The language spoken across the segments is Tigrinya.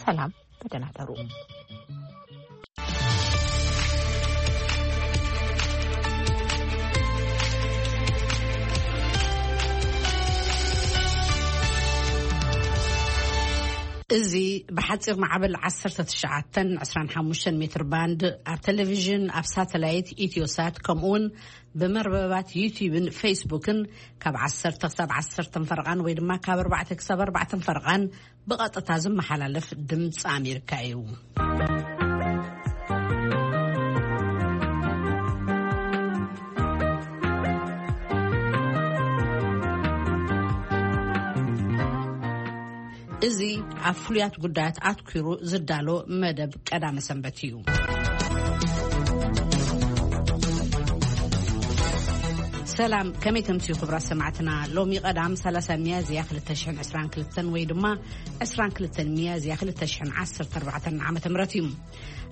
ሰላም፣ ብደህና ደሩ። እዚ ብሓፂር ማዕበል ዓሰርተ ትሽዓተን ዕስራን ሓሙሽተን ሜትር ባንድ ኣብ ቴሌቪዥን፣ ኣብ ሳተላይት ኢትዮሳት፣ ከምኡ እውን ብመርበባት ዩቲዩብን ፌስቡክን ካብ ዓሰርተ ክሳብ ዓሰርተ ፈረቓን ወይ ድማ ካብ ኣርባዕተ ክሳብ ኣርባዕተ ፈረቓን ብቐጥታ ዝመሓላለፍ ድምፂ ኣሜሪካ እዩ። እዚ ኣብ ፍሉያት ጉዳያት ኣትኲሩ ዝዳሎ መደብ ቀዳመ ሰንበት እዩ። ሰላም፣ ከመይ ተምስዩ ክቡራት ሰማዕትና? ሎሚ ቀዳም ሰላሳ ሚያዝያ ክልተ ሽሕን ዕስራን ክልተን ወይ ድማ ዕስራን ክልተን ሚያዝያ ክልተ ሽሕን ዓሰርተ ኣርባዕተን ዓመተ ምህረት እዩ።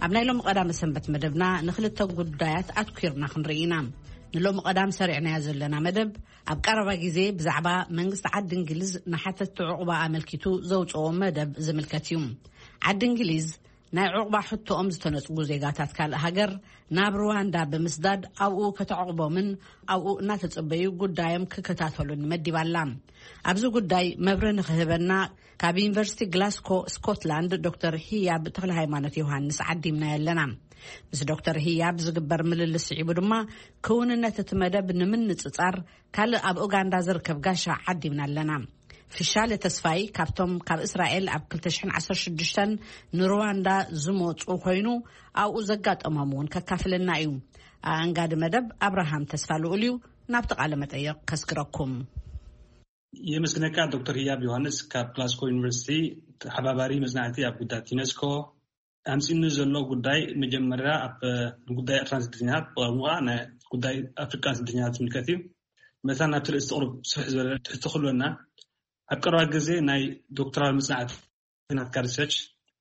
ኣብ ናይ ሎሚ ቀዳመ ሰንበት መደብና ንክልተ ጉዳያት ኣትኲርና ክንርኢ ኢና። ንሎሚ ቀዳም ሰሪዕናዮ ዘለና መደብ ኣብ ቀረባ ግዜ ብዛዕባ መንግስቲ ዓዲ እንግሊዝ ንሓተትቲ ዕቑባ ኣመልኪቱ ዘውፅኦ መደብ ዝምልከት እዩ። ዓዲ እንግሊዝ ናይ ዕቑባ ሕቶኦም ዝተነፅጉ ዜጋታት ካልእ ሃገር ናብ ሩዋንዳ ብምስዳድ ኣብኡ ከተዕቑቦምን ኣብኡ እናተፀበዩ ጉዳዮም ክከታተሉን መዲባላ። ኣብዚ ጉዳይ መብርሂ ንክህበና ካብ ዩኒቨርሲቲ ግላስኮ ስኮትላንድ ዶክተር ህያብ ተክለ ሃይማኖት ዮሃንስ ዓዲምና ኣለና። ምስ ዶክተር ህያብ ዝግበር ምልልስ ስዒቡ ድማ ክውንነት እቲ መደብ ንምንፅፃር ካልእ ኣብ ኡጋንዳ ዝርከብ ጋሻ ዓዲምና ኣለና። ፍሻለ ተስፋይ ካብቶም ካብ እስራኤል ኣብ ክልተ ሽሕን ዓሰርተ ሽዱሽተን ንሩዋንዳ ዝመፁ ኮይኑ ኣብኡ ዘጋጠሞም እውን ከካፍለና እዩ። ኣንጋዲ መደብ ኣብርሃም ተስፋ ልኡል እዩ። ናብቲ ቃለ መጠየቕ ከስግረኩም። የመስግነካ ዶክተር ህያብ ዮሃንስ ካብ ግላስኮ ዩኒቨርሲቲ ተሓባባሪ መጽናዕቲ ኣብ ጉዳያት ዩኔስኮ። ኣምጺእኒ ዘሎ ጉዳይ መጀመርያ ኣብ ጉዳይ ኤርትራን ስደተኛታት ብቐሙኣ ናይ ጉዳይ ኣፍሪቃን ስደተኛታት ዝምልከት እዩ። መታን ናብቲ ርእሲ ቁሩብ ስፍሕ ዝበለ ትሕቲ ክህልወና፣ ኣብ ቀረባ ግዜ ናይ ዶክተራል መጽናዕቲ ናትካ ሪሰርች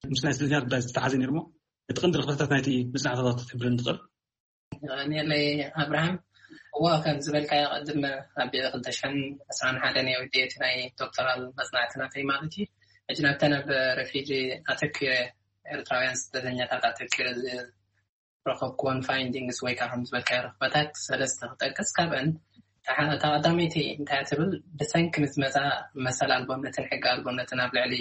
ምስ ናይ ስደተኛታት ጉዳይ ዝተሓዘ ነይሩ እሞ እቲ ቀንዲ ረኽበታት ናይቲ መጽናዕቲ ክትሕብረኒ ትኽእል? የቐንየለይ ኣብርሃም። እዎ፣ ከም ዝበልካዮ ቅድም ኣብ ክልተ ሽሕን ዕስራን ሓደን እየ ወዲኤ እቲ ናይ ዶክተራል መጽናዕቲ ናተይ ማለት እዩ። ሕጂ ናብተን ኣብ ረፊጂ ኣተኪረ፣ ኤርትራውያን ስደተኛታት ኣተኪረ ዝረኸብኩወን ፋይንዲንግስ ወይ ከዓ ከም ዝበልካዮ ረኽበታት ሰለስተ ክጠቅስ። ካብአን እታ ቀዳመይቲ እንታይ ትብል? ብሰንኪ ምዝመዛ መሰል ኣልቦነትን ሕጊ ኣልቦነትን ኣብ ልዕሊ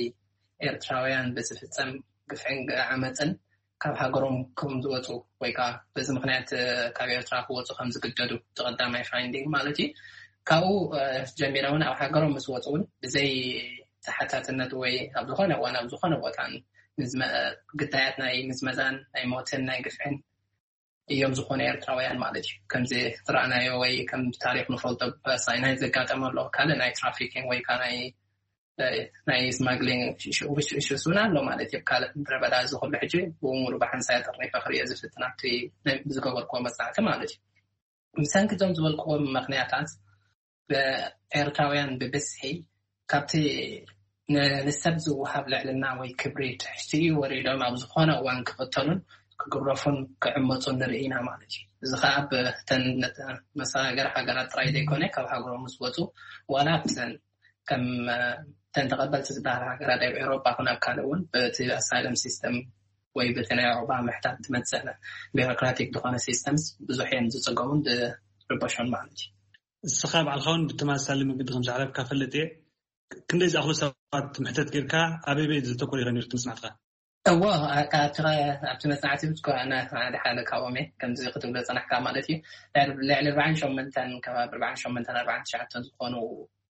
ኤርትራውያን ብዝፍጸም ግፍዕን ዓመፅን ካብ ሃገሮም ከም ዝወፁ ወይ ከዓ በዚ ምክንያት ካብ ኤርትራ ክወፁ ከም ዝግደዱ፣ እቲ ቀዳማይ ፋይንዲንግ ማለት እዩ። ካብኡ ጀሚረ እውን ኣብ ሃገሮም ምስ ወፁ እውን ብዘይ ተሓታትነት ወይ ኣብ ዝኾነ እዋን ኣብ ዝኾነ ቦታ ግዳያት ናይ ምዝመዛን ናይ ሞትን ናይ ግፍዕን እዮም ዝኾኑ ኤርትራውያን ማለት እዩ። ከምዚ ዝረኣናዮ ወይ ከም ታሪክ ንፈልጦ ብሳይ ናይ ዘጋጠመ ኣሎ ካልእ ናይ ትራፊኪንግ ወይ ከዓ ናይ ናይ ስማግሊንግ ኢሹስ እውን ኣሎ ማለት እዩ። ካልእ ምድረ በዳ እዚ ኩሉ ሕጂ ብሙሉ ብሓንሳይ ጠርኒፈ ክሪኦ ዝፍትን ኣብቲ ዝገበርኩዎ መጽናዕቲ ማለት እዩ። ብሰንኪ እዞም ዝበልኩዎም ምክንያታት ብኤርትራውያን ብብዝሒ ካብቲ ንሰብ ዝወሃብ ልዕልና ወይ ክብሪ ትሕቲ እዩ ወሪዶም ኣብ ዝኾነ እዋን ክቕተሉን ክግረፉን ክዕመፁን ንርኢ ኢና ማለት እዩ። እዚ ከዓ ብተን መሰጋገሪ ሃገራት ጥራይ ዘይኮነ ካብ ሃገሮም ምስ ወፁ ዋላ ኣብተን ከም ተን ተቐበልቲ ዝበሃል ሃገራት ኣብ ኤውሮጳ ኮነ ኣብ ካልእ እውን በቲ ኣሳይለም ሲስተም ወይ በቲ ናይ ዑቕባ ምሕታት ትመፅእ ቢሮክራቲክ ዝኾነ ሲስተምስ ብዙሕ እዮም ዝፅገሙን ዝርበሹን ማለት እዩ። እስኻ ባዕልኻ እውን ብተመሳሳሊ መገዲ ከም ዝሓለፍካ ፈልጥ እየ። ክንደይ ዝኣኽሉ ሰባት ምሕተት ጌርካ ኣበይ ኣበይ ዘተኮረ ኢኻ ነይሩ እቲ መጽናዕትኻ? እዎ፣ ኣብቲ መጽናዕቲ ሓደ ሓደ ካብኦም እየ ከምዚ ክትብሎ ዝጸናሕካ ማለት እዩ። ልዕሊ ኣርባዓን ሸሞንተን ከባቢ ኣርባዓን ሸሞንተን ኣርባዓን ትሽዓተን ዝኾኑ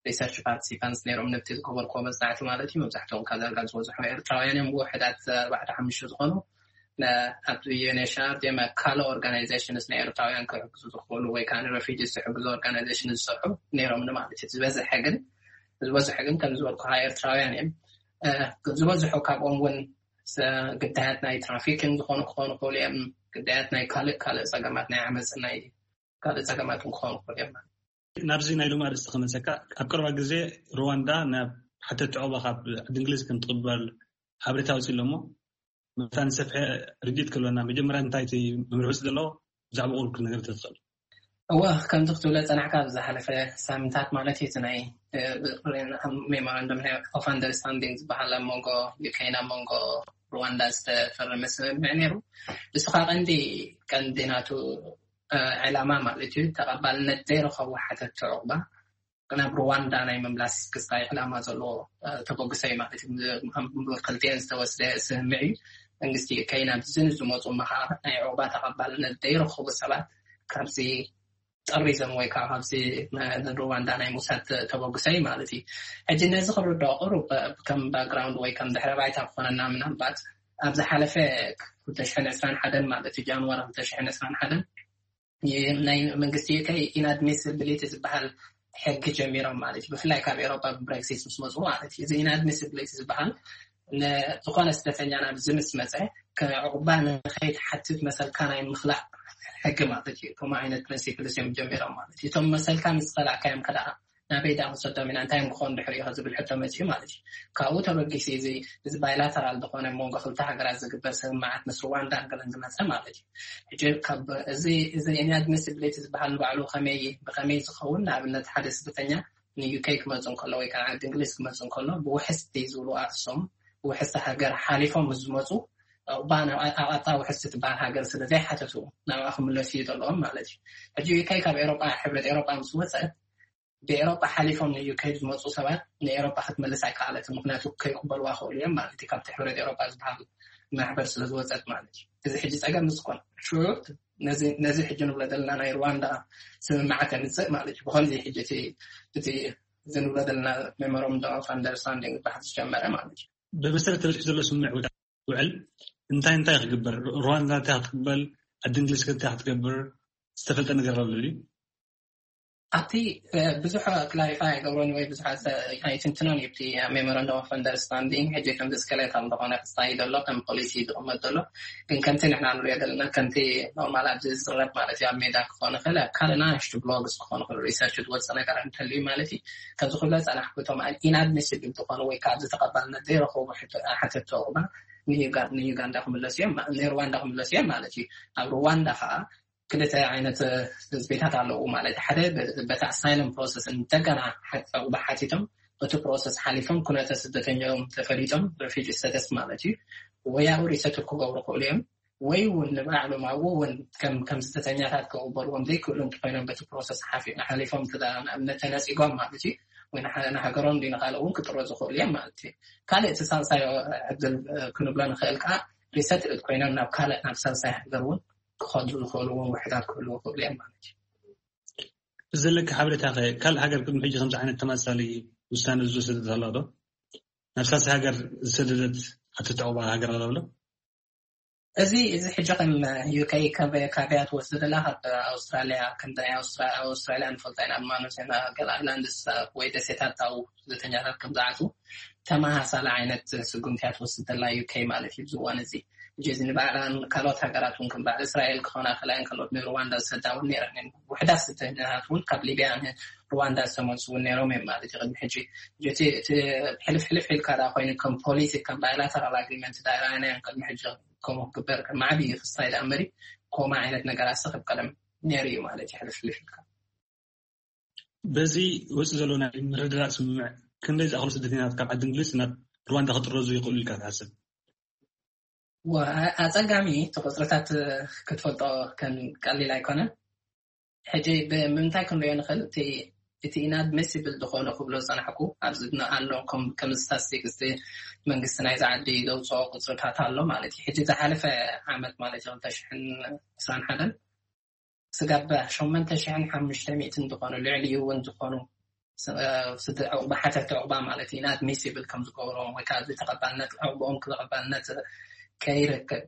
ሪሰርች ፓርቲሲፓንትስ ነይሮም ነብቲ ዝገበርኩዎ መጽናዕቲ ማለት እዩ። መብዛሕትኦም ካብ ዳርጋ ዝበዝሑ ኤርትራውያን እዮም። ውሕዳት ኣርባዕተ ሓሙሽተ ዝኾኑ ኣብቲ ዩኤንኤችሲኣር ዲም ካልእ ኦርጋናይዜሽንስ ንኤርትራውያን ክሕግዙ ዝኽእሉ ወይ ከዓ ንረፊጂስ ዝሕግዙ ኦርጋናይዜሽን ዝሰርሑ ነይሮም ማለት እዩ። ዝበዝሐ ግን ዝበዝሐ ግን ከም ዝበልኩኻ ኤርትራውያን እዮም። ዝበዝሑ ካብኦም እውን ግዳያት ናይ ትራፊክን ዝኾኑ ክኾኑ ክኽእሉ እዮም። ግዳያት ናይ ካልእ ካልእ ፀገማት ናይ ዓመፅን ናይ ካልእ ፀገማትን ክኾኑ ክኽእሉ እዮም። ናብዚ ናይ ሎሚ ኣርእስቲ ክመልሰካ፣ ኣብ ቀረባ ግዜ ሩዋንዳ ናብ ሓተቲ ዑቕባ ካብ ዓዲ እንግሊዝ ከም ትቕበል ሓበሬታ ኣውፂኡ ኣሎ እሞ፣ መታን ሰፊሐ ርድኢት ክህልወና መጀመርያ እንታይ እቲ መምርሒ ውፅእ ዘለዎ ብዛዕባ ቁሩብ ክትነግር ተትኽእል? እወ፣ ከምዚ ክትብሎ ዝጸናሕካ፣ ኣብ ዝሓለፈ ሳምንታት ማለት እዩ፣ እቲ ናይ ሜሞራንደም ኦፍ ኣንደርስታንዲንግ ዝበሃል ኣብ መንጎ ዩኬን ኣብ መንጎ ሩዋንዳ ዝተፈረመ ስምምዕ ነይሩ። ንሱ ከዓ ቀንዲ ቀንዲ ናቱ ዕላማ ማለት እዩ፣ ተቐባልነት ዘይረኸቡ ሓተትቲ ዕቑባ ናብ ሩዋንዳ ናይ ምምላስ ክስታይ ዕላማ ዘለዎ ተበግሶ እዩ ማለት እዩ። ክልቲኤን ዝተወስደ ስምምዕ እዩ። መንግስቲ ዩኬይ ናብዚ ንዝመፁ መኸዓ ናይ ዕቑባ ተቐባልነት ዘይረኸቡ ሰባት ካብዚ ጠሪዞም ወይ ከዓ ካብዚ ንሩዋንዳ ናይ ምውሳድ ተበግሶ እዩ ማለት እዩ። ሕጂ ነዚ ክንርድኦ ቅሩብ ከም ባክግራውንድ ወይ ከም ድሕረ ባይታ ክኾነና፣ ምናልባት ኣብ ዝሓለፈ ክልተ ሽሕን ዕስራን ሓደን ማለት እዩ፣ ጃንዋሪ ክልተ ሽሕን ዕስራን ሓደን ናይ መንግስቲ ዩኬይ ኢንኣድሚሲቢሊቲ ዝበሃል ሕጊ ጀሚሮም ማለት እዩ። ብፍላይ ካብ ኤሮጳ ብብሬክሲት ምስ መፁ ማለት እዩ። እዚ ኢንኣድሚሲቢሊቲ ዝበሃል ንዝኾነ ስደተኛ ናብዚ ምስ መፀ ከዕቑባ ንኸይትሓትት መሰልካ ናይ ምኽላእ ሕጊ ማለት እዩ። ከምኡ ዓይነት ፕሪንሲፕልስ እዮም ጀሚሮም ማለት እዩ። እቶም መሰልካ ምስ ኸላእካዮም ከደኣ ናበይ ደኣ ክሰዶም ኢና፣ እንታይ እዮም ክኾኑ ድሕሪኡ ዝብል ሕቶ መፂኡ ማለት እዩ። ካብኡ ተበጊሱ እዚ እዚ ባይላተራል ዝኾነ መንጎ ክልተ ሃገራት ዝግበር ስምምዓት ምስ ሩዋንዳ ገለን ዝመፀ ማለት እዩ። ሕጂ ካብ እዚ እዚ ኢንኣድሚሲቢሊቲ ዝበሃል ንባዕሉ ከመይ ብኸመይ ዝኸውን፣ ንኣብነት ሓደ ስደተኛ ንዩኬይ ክመፁ እንከሎ ወይ ከዓ ዓዲ እንግሊዝ ክመፁ እንከሎ ብውሕስቲ ዝብሉ ኣክሶም ውሕስቲ ሃገር ሓሊፎም ምስ ዝመፁ ዕቑባ ናብ ኣቃጣ ውሕስቲ ትበሃል ሃገር ስለ ዘይሓተቱ ናብኣ ክምለሱ እዩ ዘለዎም ማለት እዩ። ሕጂ ዩኬይ ካብ ኤሮጳ ሕብረት ኤሮጳ ምስ ወፀት ብኤሮጳ ሓሊፎም ንዩኬይ ዝመፁ ሰባት ንኤሮጳ ክትመልስ ኣይከኣለትን፣ ምክንያቱ ከይቅበልዋ ክእሉ እዮም ማለት እዩ። ካብቲ ሕብረት ኤሮጳ ዝበሃል ማሕበር ስለ ዝወፀት ማለት እዩ። እዚ ሕጂ ፀገም ምስ ኮነ ሽዑ ነዚ ነዚ ሕጂ ንብሎ ዘለና ናይ ሩዋንዳ ስምምዓት የምፅእ ማለት እዩ። ብኸምዚ ሕጂ እቲ እቲ እዚ ንብሎ ዘለና ሜሞራንደም ኦፍ ኣንደርስታንዲንግ ዝበሃል ዝጀመረ ማለት እዩ። ብመሰረት ተበፂሑ ዘሎ ስምምዕ ውዕል እንታይ እንታይ ክግበር፣ ሩዋንዳ እንታይ ክትቅበል፣ ዓዲ እንግሊዝ ከ እንታይ ክትገብር ዝተፈልጠ ነገር ኣሎ ድዩ? ኣብቲ ብዙሕ ክላሪፋይ ኣይገብሮን ወይ ብዙሕ ኣይትንትኖን እዩ። እቲ ሜሞራንደም ኦፍ ኣንደርስታንዲንግ ሕጂ ከም ስኬሌታል ዝኾነ ክስታይ ዘሎ ከም ፖሊሲ ዝቕመጥ ዘሎ፣ ግን ከምቲ ንሕና ንሪኦ ዘለና ከምቲ ኖርማል ኣብዚ ዝዝረብ ማለት እዩ፣ ኣብ ሜዳ ክኾን ይኽእል፣ ኣብ ካልእ ናሽቱ ብሎግስ ክኾን ይኽእል፣ ሪሰርች ዝወፅእ ነገር እንተልዩ ማለት እዩ። ከምዚ ክብሎ ዝፀናሕኩ እቶም ኢንኣድሚሲብል ዝኾኑ ወይ ካብ ዝተቐባልነት ዘይረኸቡ ሓተትቲ ዕቑባ ንዩጋንዳ ክምለሱ እዮም፣ ንሩዋንዳ ክምለሱ እዮም ማለት እዩ። ኣብ ሩዋንዳ ከዓ ክልተ ዓይነት ህዝቢታት ኣለዉ ማለት ሓደ በቲ ኣሳይለም ፕሮሰስ እንደገና ዕቑባ ሓቲቶም በቲ ፕሮሰስ ሓሊፎም ኩነተ ስደተኛኦም ተፈሊጦም ሬፊጂ ስተተስ ማለት እዩ ወያኡ ሪሰትል ክገብሩ ክእሉ እዮም። ወይ እውን ንባዕሎም ኣብኡ እውን ከም ከም ስደተኛታት ክቕበልዎም ዘይክእሉ እንተኮይኖም በቲ ፕሮሰስ ሓፊ- ሓሊፎም እንተ ንኣብነት ተነፂጎም ማለት እዩ ወይ ንሓ- ንሃገሮም ድዩ ንካልእ እውን ክጥረዙ ክእሉ እዮም ማለት እዩ። ካልእ እቲ ሳልሳይ ዕድል ክንብሎ ንኽእል ከዓ ሪሰትልድ ኮይኖም ናብ ካልእ ናብ ሳልሳይ ሃገር እውን ክኸዱ ዝኽእሉ እውን ውሕዳት ክህልዉ ክእሉ እዮም ማለት እዩ። ብዘለካ ሓበሬታ ከ ካልእ ሃገር ቅድሚ ሕጂ ከምዚ ዓይነት ተመሳሳሊ ውሳነ ዝወሰደት ኣላ ዶ? ናብ ሳልሳይ ሃገር ዝሰደደት ኣተተዕባ ሃገር ኣላ ዶ? እዚ እዚ ሕጂ ከም ዩኬ ካበያ ትወስድ ዘላ ካብ ኣውስትራሊያ ከምዚ ናይ ኣውስትራሊያ ንፈልጦ ኢና ድማ ንሴና ገል ኣይላንድስ ወይ ደሴታት ኣብኡ ስደተኛታት ከም ዝኣትዉ ተመሳሳሊ ዓይነት ስጉምቲ እያ ትወስድ ዘላ ዩኬ ማለት እዩ። ኣብዚ እዋን እዚ ሕጂ እዚ ንባዕላን ካልኦት ሃገራት እውን ከም በዓል እስራኤል ክኾና ከላይን ካልኦት ንሩዋንዳ ዝሰዳ እውን ነይረን እየን። ውሕዳት ስደተኛታት እውን ካብ ሊብያ ንሩዋንዳ ዝተመልሱ እውን ነይሮም እዮም ማለት እዩ። ቅድሚ ሕጂ ሕጂ እቲ እቲ ሕልፍ ሕልፍ ኢልካ ዳ ኮይኑ ከም ፖሊሲ ከም ባይላተራል ኣግሪመንት ዳ ኢራናያን ቅድሚ ሕጂ ከምኡ ክግበር ከም ዓብዪ ክስታይ ዳ እምበሪ ከምኡ ዓይነት ነገራት ሲ ከም ቀደም ነይሩ እዩ ማለት እዩ። ሕልፍ ሕልፍ ኢልካ በዚ ወፂ ዘሎ ናይ ምርድዳእ ስምምዕ ክንደይ ዝኣኽሉ ስደተኛታት ካብ ዓዲ እንግሊዝ ናብ ሩዋንዳ ክጥረዙ ይኽእሉ ኢልካ ትሓስብ? ኣፀጋሚ እቲ ቁፅርታት ክትፈልጦ ከም ቀሊል ኣይኮነን። ሕጂ ብምንታይ ክንሪኦ ንኽእል? እቲ ኢንኣድሚሲብል ዝኾነ ክብሎ ዝፀናሕኩ ኣብዚ ኣሎ ከም ስታስቲክስ መንግስቲ ናይዚ ዓዲ ዘውፅኦ ቁፅርታት ኣሎ ማለት እዩ። ሕጂ ዝሓለፈ ዓመት ማለት እዩ ክልተ ሽሕን ዕስራን ሓደን ስጋብ ሸሞንተ ሽሕን ሓሙሽተ ሚእትን ዝኾኑ ልዕሊኡ እውን ዝኾኑ ስደ ዕቑባ ሓተቲ ዕቑባ ማለት እዩ ኢንኣድሚሲብል ከም ዝገብሮም ወይ ከዓ ተቐባልነት ዕቑቦኦም ተቐባልነት ከይረክብ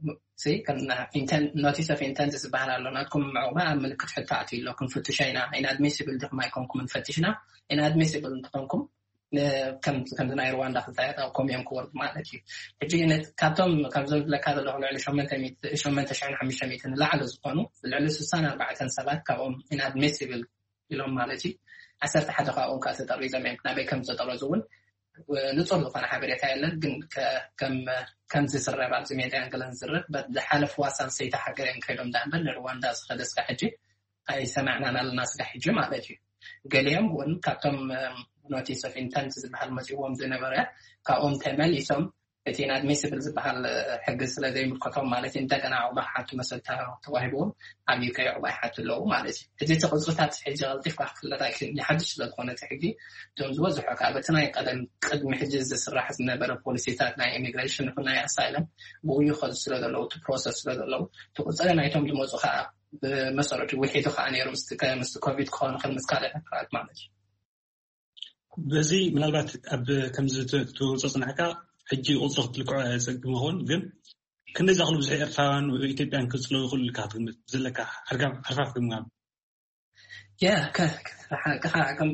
ኖቲስ ኦፍ ኢንተንት ዝበሃል ኣሎ። ናትኩም ዕቑባ ኣብ ምልክት ሕቶ ኣትዩ ኣሎ። ክንፍትሾ ኢና። ኢንኣድሚሲብል ዲኹም ኣይኮንኩምን ፈቲሽና። ኢንኣድሚሲብል እንተኾንኩም ከምዚ ናይ ሩዋንዳ ክልታያት ኣብ ኮም እዮም ክወርዱ ማለት እዩ። ሕጂ ካብቶም ካብዞም ዝብለካ ዘለኹ ልዕሊ ሸሞንተ ሽሕን ሓሙሽተ ሚእትን ንላዕሊ ዝኾኑ ልዕሊ ስሳን ኣርባዕተን ሰባት ካብኦም ኢንኣድሚሲብል ኢሎም ማለት እዩ። ዓሰርተ ሓደ ካብኦም ከዓ ተጠሪዞም እዮም። ናበይ ከም ዝተጠረዙ እውን ንፁር ዝኾነ ሓበሬታ የለን። ግን ከምዚ ዝረብ ኣብዚ ሜድያን ገለን ዝረብ ዝሓለፍዋ ሳልሰይቲ ሃገር እዮም ከይዶም ዳ እምበር ንሩዋንዳ ዝኸደ እስካ ሕጂ ኣይሰማዕናን ኣለና ስጋዕ ሕጂ ማለት እዩ። ገሊኦም እውን ካብቶም ኖቲስ ኦፍ ኢንተንት ዝበሃል መፅዎም ዝነበረ ካብኦም ተመሊሶም እቲ ኢንኣድሚስብል ዝበሃል ሕጊ ስለ ዘይምልከቶም ማለት እዩ። እንደገና ዕቑባ ሓቱ መሰል ተዋሂብዎም ኣብ ዩኬ ዕቑባ ይሓቱ ኣለዉ ማለት እዩ። እዚ እቲ ቅፅልታት ሕጂ ቀልጢፍካ ክፍለጥ ኣይክእል ሓድሽ ስለ ዝኾነ እቲ ሕጊ እቶም ዝበዝሑ ካብ እቲ ናይ ቀደም ቅድሚ ሕጂ ዝስራሕ ዝነበረ ፖሊሲታት ናይ ኢሚግሬሽን ይኹን ናይ ኣሳይለም ብኡ ይኸዱ ስለ ዘለዉ እቲ ፕሮሰስ ስለ ዘለዉ እቲ ቁፅሪ ናይቶም ዝመፁ ከዓ ብመሰረቱ ውሒዱ ከዓ ነይሩ ምስ ኮቪድ ክኸውን ይኽእል ምስ ካልእ ነገራት ማለት እዩ። በዚ ምናልባት ኣብ ከምዚ ትወፅኦ ፅናሕካ ሕጂ ቁፅሪ ክትልክዖ ፀግም ይኸውን ግን ክንደይ ዝኣኽሉ ብዙሕ ኤርትራውያን ኢትዮጵያን ክፅለው ይኽእሉ ኢልካ ክትግምት ዘለካ ሓርፋፍ ግምጋም ያ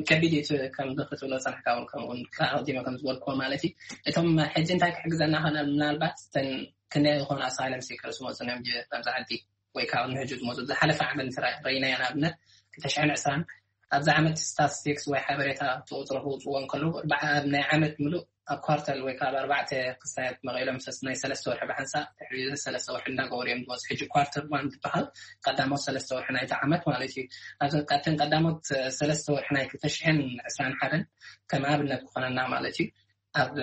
ከቢድ እዩ። ከም ክትብሎ ፀናሕካ እውን ከምኡውን ኣቀዲመ ከም ዝበልክዎ ማለት እዩ። እቶም ሕጂ እንታይ ክሕግዘና ኾነ ምናልባት እተን ክንደይ ዝኾኑ ኣሳይለም ሲከርስ መፁ እዮም ኣብዚ ዓዲ ወይ ካብ ንሕጂ ዝመፁ ዝሓለፈ ዓመት ረኢናዮ ንኣብነት ክልተ ሽሕን ዕስራን ኣብዚ ዓመት ስታትስቲክስ ወይ ሓበሬታ ተቁፅሮ ክውፅዎ እንከለዉ ናይ ዓመት ምሉእ ኣብ ኳርተል ወይ ከዓ ኣብ ኣርባዕተ ክሳያት መቐሎም ሰስ ናይ ሰለስተ ወርሒ ብሓንሳእ ድሕሪ ሰለስተ ወርሒ እንዳገበሩ እዮም ዝመፁ። ሕጂ ኳርተር ዋን ዝበሃል ቀዳሞት ሰለስተ ወርሒ ናይቲ ዓመት ማለት እዩ። ኣብተን ቀዳሞት ሰለስተ ወርሒ ናይ ክልተ ሽሕን ዕስራን ሓደን ከም ኣብነት ክኾነና ማለት እዩ። ኣብ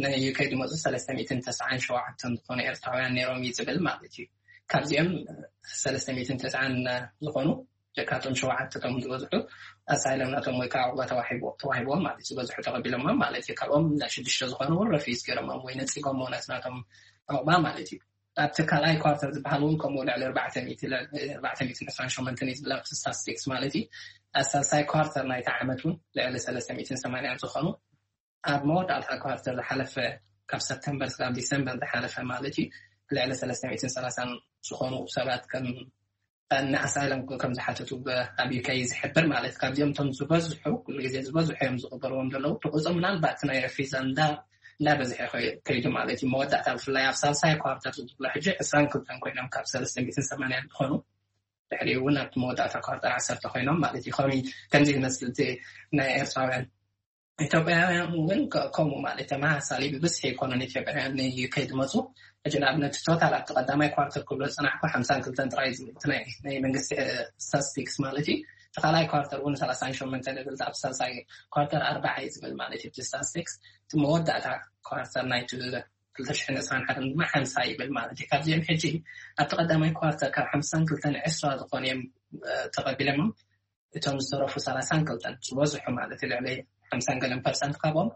ናይ ዩኬ ዝመፁ ሰለስተ ሚእትን ተስዓን ሸውዓተን ዝኾኑ ኤርትራውያን ነይሮም እዩ ዝብል ማለት እዩ። ካብዚኦም ሰለስተ ሚእትን ተስዓን ዝኾኑ ደካቶም ሸውዓተ ቶም ዝበዝሑ ኣሳይለም ናቶም ወይ ከዓ ዕቑባ ተዋሂብዎም ማለት እዩ። ዝበዝሑ ተቐቢሎሞም ማለት እዩ። ካብኦም ሽዱሽተ ዝኾኑ እውን ረፊዝ ገይሮሞም ወይ ነፂጎም ናት ናቶም ዕቑባ ማለት እዩ። ኣብቲ ካልኣይ ኳርተር ዝበሃል እውን ከምኡ ልዕሊ ኣርባዕተ ሚእትን ዕስራን ሸሞንተን እዩ ዝብል ኣብቲ ስታትስቲክስ ማለት እዩ። ኣብ ሳልሳይ ኳርተር ናይቲ ዓመት እውን ልዕሊ ሰለስተ ሚእትን ሰማንያን ዝኾኑ ኣብ መወዳእታ ኳርተር ዝሓለፈ ካብ ሰፕተምበር ስጋብ ዲሰምበር ዝሓለፈ ማለት እዩ ልዕሊ ሰለስተ ሚእትን ሰላሳን ዝኾኑ ሰባት ከም ንኣሳይለም ከም ዝሓተቱ ኣብ ዩኬ ዝሕብር ማለት ካብዚኦም እቶም ዝበዝሑ ኩሉ ግዜ ዝበዝሑ እዮም ዝቕበልዎም ዘለዉ ትቁፅም ምናልባት ናይ ረፊዛ እንዳ እንዳበዝሐ ከይዱ ማለት እዩ። መወዳእታ ብፍላይ ኣብ ሳልሳይ ኳርተር ዝብሎ ሕጂ ዕስራን ክልተን ኮይኖም ካብ ሰለስተ ሚእትን ሰማንያን ዝኾኑ ድሕሪ እውን ኣብቲ መወዳእታ ኳርተር ዓሰርተ ኮይኖም ማለት እዩ። ከሚ ከምዚ ዝመስል እቲ ናይ ኤርትራውያን ኢትዮጵያውያን እውን ከምኡ ማለት ተመሳሳሊ ብብዝሒ ኣይኮኑን ኢትዮጵያውያን ንዩኬ ዝመፁ። ሕጂ ንኣብነት ቶታል ኣብቲ ቀዳማይ ኳርተር ክብሎ ዝፅናሕኩ ሓምሳን ክልተን ጥራይ ናይ መንግስቲ ስታትስቲክስ ማለት እዩ። እቲ ካልኣይ ኳርተር እውን ሰላሳን ሸሞንተን ይብል ኣብቲ ሳልሳይ ኳርተር ኣርባዓ እዩ ዝብል ማለት እዩ። እቲ ስታትስቲክስ እቲ መወዳእታ ኳርተር ናይ ክልተ ሽሕን ዕስራን ሓደን ድማ ሓምሳ ይብል ማለት እዩ። ካብዚኦም ሕጂ ኣብቲ ቀዳማይ ኳርተር ካብ ሓምሳን ክልተን ዕስራ ዝኾኑ እዮም ተቐቢሎሞም እቶም ዝተረፉ ሰላሳን ክልተን ዝበዝሑ ማለት ልዕሊ ሓምሳን ገለን ፐርሰንት ካብኦም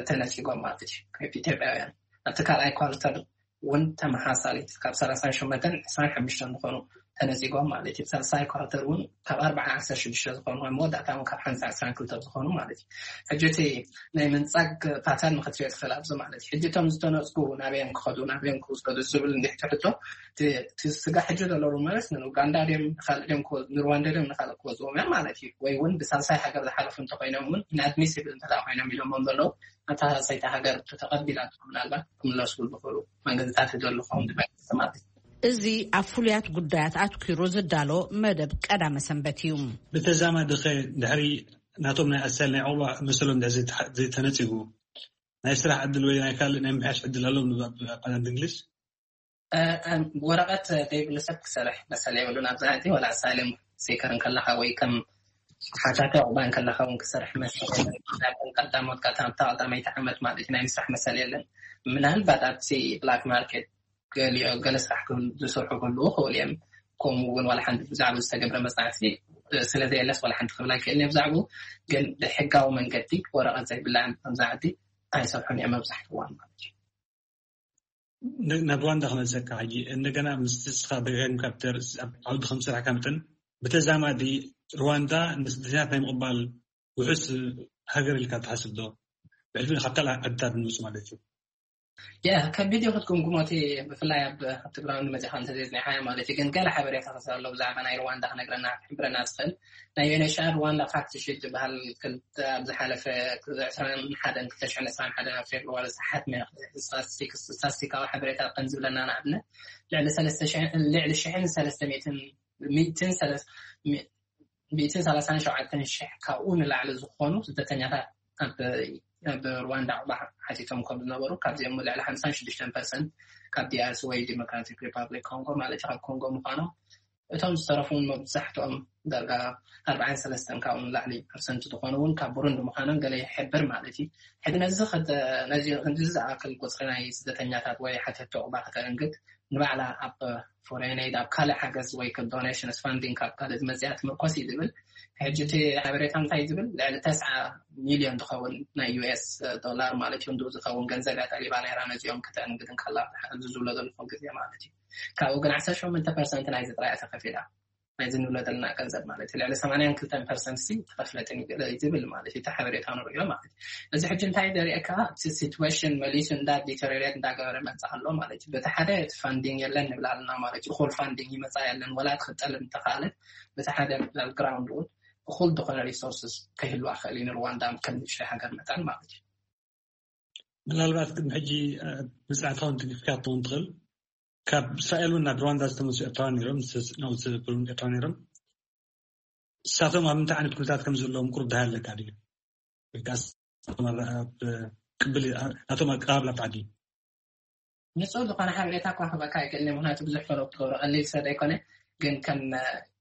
ተነፂጎም ማለት እዩ። ኢትዮጵያውያን ኣብቲ ካልኣይ ኳርተር እውን ተመሳሳሊት ካብ ሰላሳን ሸሞንተን ዕስራን ሓሙሽተን ዝኾኑ ተነፂጎም ማለት እዩ። ሳልሳይ ኳርተር እውን ካብ ኣርባዓ ዓሰርተ ሽዱሽተ ዝኾኑ ኣብ መወዳእታ እውን ካብ ሓንሳ ዕስራን ክልተ ዝኾኑ ማለት እዩ። ሕጂ እቲ ናይ ምንፃግ ፓተርን ክትሪኦ ትኽእል ኣብዚ ማለት እዩ። ሕጂ እቶም ዝተነፅጉ ናበዮም ክኸዱ ናበዮም ክውሰዱ ዝብል እንዲሕ ትሕቶ እቲ ስጋ ሕጂ ዘሎ ሩመርስ ንኡጋንዳ ድዮም ንካልእ ድዮም ንሩዋንዳ ድዮም ንካልእ ክወፅዎም እዮም ማለት እዩ። ወይ እውን ብሳልሳይ ሃገር ዝሓለፉ እንተኮይኖም እውን ኢንኣድሚሲብል እንተ ኮይኖም ኢሎሞም ዘለዉ ኣታ ሳልሳይቲ ሃገር ተተቐቢላ ምናልባት ክምለሱ ዝኽእሉ መንገድታት ይደሉ ክኸውን ዝመልስ ማለት እዩ። እዚ ኣብ ፍሉያት ጉዳያት ኣትኪሩ ዝዳሎ መደብ ቀዳመ ሰንበት እዩ። ብተዛማዲ ኸ ድሕሪ ናቶም ናይ ኣሳይል ናይ ዕቑባ መሰሎም ድሕሪ ዘይተነፂጉ ናይ ስራሕ ዕድል ወይ ናይ ካልእ ናይ ምምሕያሽ ዕድል ኣለዎም ኣብ ቃላት እንግሊዝ? ወረቐት ዘይብሉ ሰብ ክሰርሕ መሰል የብሉን። ኣብዛ ዓዲ ዋላ ኣሳይለም ሲከር እንከለኻ ወይ ከም ሓታቲ ዕቑባ እንከለኻ እውን ክሰርሕ መሰል የለን። ቀዳሞት ቀዳምታ ቀዳመይቲ ዓመት ማለት ናይ ምስራሕ መሰል የለን። ምናልባት ኣብቲ ብላክ ማርኬት ገሊኦ ገለ ስራሕ ዝሰርሑ ክህልዉ ክኽእሉ እዮም። ከምኡ እውን ዋላ ሓንቲ ብዛዕባ ዝተገብረ መፅናዕቲ ስለ ዘየለስ ዋላ ሓንቲ ክብል ኣይክእልን እየ ብዛዕባኡ። ግን ብሕጋዊ መንገዲ ወረቐት ዘይብላ ኣብዛ ዓዲ ኣይሰርሑን እዮም መብዛሕትኡ እዋን ማለት እዩ። ናብ ሩዋንዳ ክመልሰካ ሕጂ እንደገና ምስ ንስኻ ደጋጊምካ ኣብ ዓውዲ ከም ዝሰራሕካ መጠን ብተዛማዲ ሩዋንዳ ንስደተኛታት ናይ ምቕባል ውሑስ ሃገር ኢልካ ትሓስብ ዶ? ብሕልፊ ካብ ካልእ ዓድታት ንመፁ ማለት እዩ። ያ ከቢድ እዩ ክትግምግሞ እቲ ብፍላይ ኣብ ትግራይ ንመፂኻ እንተዘይፅኒዕካዮ ማለት እዩ። ግን ገለ ሓበሬታ ክስር ኣሎ ብዛዕባ ናይ ሩዋንዳ ክነግረና ክሕብረና ዝኽእል ናይ ዩኤንኤችሲኣር ሩዋንዳ ፋክት ሺት ዝበሃል ኣብ ዝሓለፈ ዕስራን ሓደን ክልተ ሽሕን ዕስራን ሓደን ኣብ ፌብርዋሪ ዝሓትመ ስታስቲካዊ ሓበሬታ ከም ዝብለና ንኣብነት ልዕሊ ሰለስተ ሽሕን ልዕሊ ሽሕን ሰለስተ ሚእትን ሚእትን ሰለስ ሚእትን ሰላሳን ሸውዓተን ሽሕ ካብኡ ንላዕሊ ዝኾኑ ስደተኛታት ኣብ ሩዋንዳ ዕቑባ ሓቲቶም ከም ዝነበሩ ካብዚኦም ልዕሊ ሓምሳን ሽዱሽተን ፐርሰንት ካብ ዲኣርሲ ወይ ዲሞክራቲክ ሪፓብሊክ ኮንጎ ማለት ካብ ኮንጎ ምዃኖም እቶም ዝተረፉ እውን መብዛሕትኦም ዳርጋ ኣርባዓን ሰለስተን ካብኡ ንላዕሊ ፐርሰንት ዝኾኑ እውን ካብ ቡሩንዲ ምዃኖም ገለ ይሕብር ማለት እዩ። ሕዚ ነዚ ከተ- ነዚ ክንዚ ዝኣክል ቁፅሪ ናይ ስደተኛታት ወይ ሓተቲ ዑቕባ ከተእንግድ ንባዕላ ኣብ ፎሬን ኤድ ኣብ ካልእ ሓገዝ ወይ ዶኔሽንስ ፋንዲንግ ካብ ካልእ ዝመፅያ ትምርኮስ እዩ ዝብል። ሕጂ እቲ ሓበሬታ እንታይ ዝብል? ልዕሊ ተስዓ ሚልዮን ዝኸውን ናይ ዩ ኤስ ዶላር ማለት እዩ እንድኡ ዝኸውን ገንዘብ እያ ጠሊባ ነይራ ነዚኦም ከተእንግድ እንከላ ኣብዚ ዝብሎ ዘለኹ ግዜ ማለት እዩ። ካብኡ ግን ዓሰርተ ሸሞንተ ፐርሰንት ናይዚ ጥራይ እያ ተኸፊላ። ናይዚ ንብሎ ዘለና ገንዘብ ማለት እዩ ልዕሊ ሰማንያን ክልተን ፐርሰንት ሲ ተኸፍለትን እዩ ገለ ዝብል ማለት እዩ እቲ ሓበሬታ ንሪኦ ማለት እዩ። እዚ ሕጂ እንታይ ዘርእየካ ኣብቲ ሲትዌሽን መሊሱ እንዳ ዲተሪሬት እንዳገበረ መፅእ ኣሎ ማለት እዩ። በቲ ሓደ እቲ ፋንዲንግ የለን ንብል ኣለና ማለት እዩ። እኹል ፋንዲንግ ይመፃ የለን ወላ ትኽጠል እንተኽኣለት በቲ ሓደ ግራውንድ እውን እኹል ዝኾነ ሪሶርስስ ከይህልዋ ክእል እዩ ንርዋንዳ ከም ንእሽተይ ሃገር መጠን ማለት እዩ። ምናልባት ቅድሚ ሕጂ ብፅዕታ እውን ትግፍካ ትኸውን ትኽእል። ካብ እስራኤል እውን ናብ ሩዋንዳ ዝተመልሱ ኤርትራውያን ነይሮም፣ ናብኡ ዝሰፈሩ ኤርትራውያን ነይሮም። እሳቶም ኣብ ምንታይ ዓይነት ኩነታት ከም ዘለዎም ቁሩብ ደሃይ ኣለካ ድዩ? ወይ ከዓ እሳቶም ኣብ ቅብል ናቶም ኣቀባብላ ብዓዲ ንፁር ዝኾነ ሓበሬታ እኳ ክበካ ይክእል ምክንያቱ ብዙሕ ፈለግ ትገብሮ ቀሊል ሰብ ኣይኮነ። ግን ከም